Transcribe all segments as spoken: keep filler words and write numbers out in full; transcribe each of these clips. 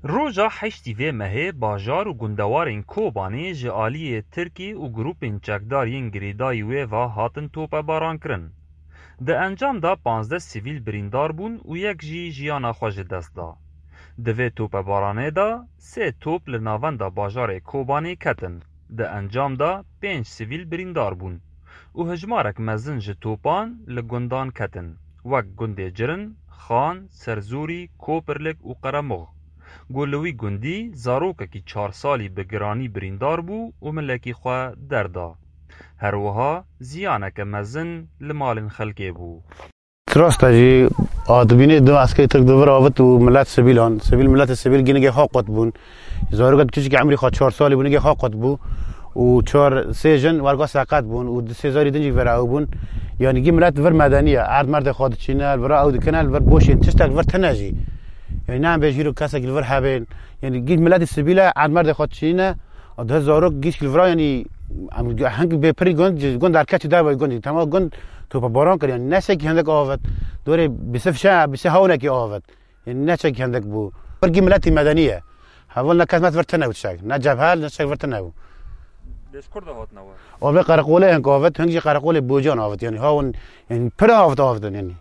Roja heştî vê mehê bajar û gundewarên Kobanê ji aliyê Tirkî û grûpên çekdar yên girêdayî wê ve hatin topebarankirin. Di encam de panzdeh sivîl birîndar bûn û yek jî jiyana xwe ji dest da. Di vê topebaranê de sê top li navenda bajarê Kobanê ketin. Di encam de pênc sivîl birîndar bûn û hejmarek mezin ji topan li gundan ketin, wek gundê Cirin, Xan, Serzûrî, Kopirlik û Qeremox. Ku li wî gundî zarokekî çar salî bi giranî birîndar bû û milekî xwe derda. Her wiha ziyaneke mezin li malên xelkê bû. Rast e jî, a dibînê du eskerê Tirk di vir avit û milet sivîlan, sivîl, miletê sivîl ginigê xwe qut bûn. Zarokek kiçikî emrî xwe çar salî bû, nigê xwe qut bû û çar, sê jin werga seqet bûn û du sê zarî din jî vera ew bûn. Yanî gî milet vir medenî ye. Erd merdê xwe diçîne, li vir ew dikine, li vir boşên tiştek li vir tine jî. Yanî ne em bêjî îro kesek li vir hebên. Yanî gî miletî sivîl e, erd merdê xwe diçîne. Di zarok gîşk li vira, yanî, em hing bê pirî gund, ji gund derkeçî dervayî gund. Tema gund tope baran kir, yanî ne şekî hindek avêt. Dorê bîsif şe, bîsê hawnekî avêt. Yanî ne şekî hindek bû. Pirkî miletî medenî ye. Heval ne kes met vir tine û çek. Ne cebhel, ne çek vir tine bû. Lê ji kur de hatine we? Avê qereqolê hing avêt, hing jî qereqolê Bocan avêt. Yanî hawn, yanî pir avêt avêt, yanî.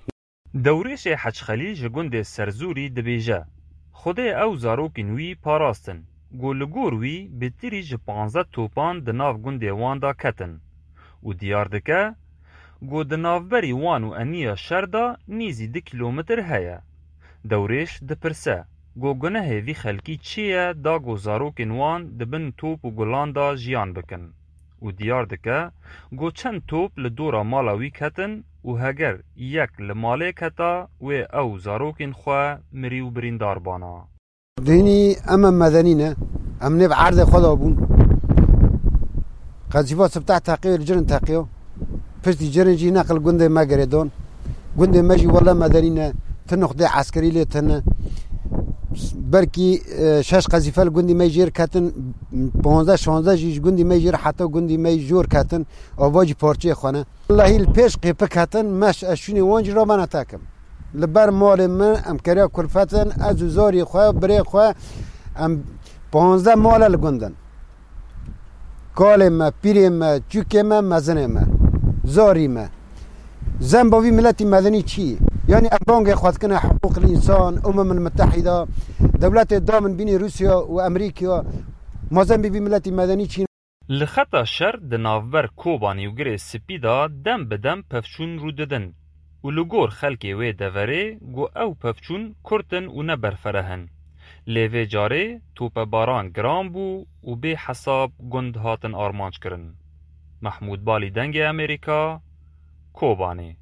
Dewrêşê Hec Xelîl ji gundê Serzûrî dibêje, Xwedê ew zarokên wî parastin, ku li gor wî bêtirî ji panzdeh topan di nav gundê wan de ketin û diyar dike, ku di navberî wan û eniya şer de nîzî du kîlometr heye. Dewrêş dipirse, ku gunehê vî xelkî çi ye da ku zarokên wan di bin top û gulan de jiyan bikin? Û diyar dike, ku çend top li dora mala wî ketin û heger yek li malê keta, wê ew zarokên xwe mirî û birîndar bana. Dînî em, em medenî ne. Em nêv erdê xwe de bûn. Qezîfa sibteh teqiyo, li Cirin teqiyo. Piştî Cirin jî neqil gundê me girêdon. Gundê me jî wele medenî ne. Ti nuqdê eskerî lê tine. Belkî, e, şeş qezîfe li gundî me jêr ketin, panzdeh şanzdeh jî ji gundî me jêr heta gundî me jor ketin. Ava jî parçeyê xwe ne. Wellahî li pêş qêpik hetin, meş ez şûnê wan jî ramana tekim. Li ber malê min em keriya kulfetin, ez û zarî xwe, birê xwe, em panzdeh male li gund in. Kalê me, pîrê me, çûkê me, mezinê me, zarî me. Zemba vî miletî medenî çi? Yanî em bangê xwe dikine hiqûqil însan, Umemil Mitehîda, dewletê da min bînî Rûsya û Emerîkya, ma zembî vî miletî medenî çi? Li xeta şer di navber Kobanî û Girê Spî de dem bi dem pevçûn rû didin û li gor xelkê wê deverê ku ew pevçûn kurt in û ne berfereh in. Lê vê carê topebaran giran bû û bê hesab gund hatin armanc kirin. Mehmûd Balî, Dengê Amerîka, Kobanê.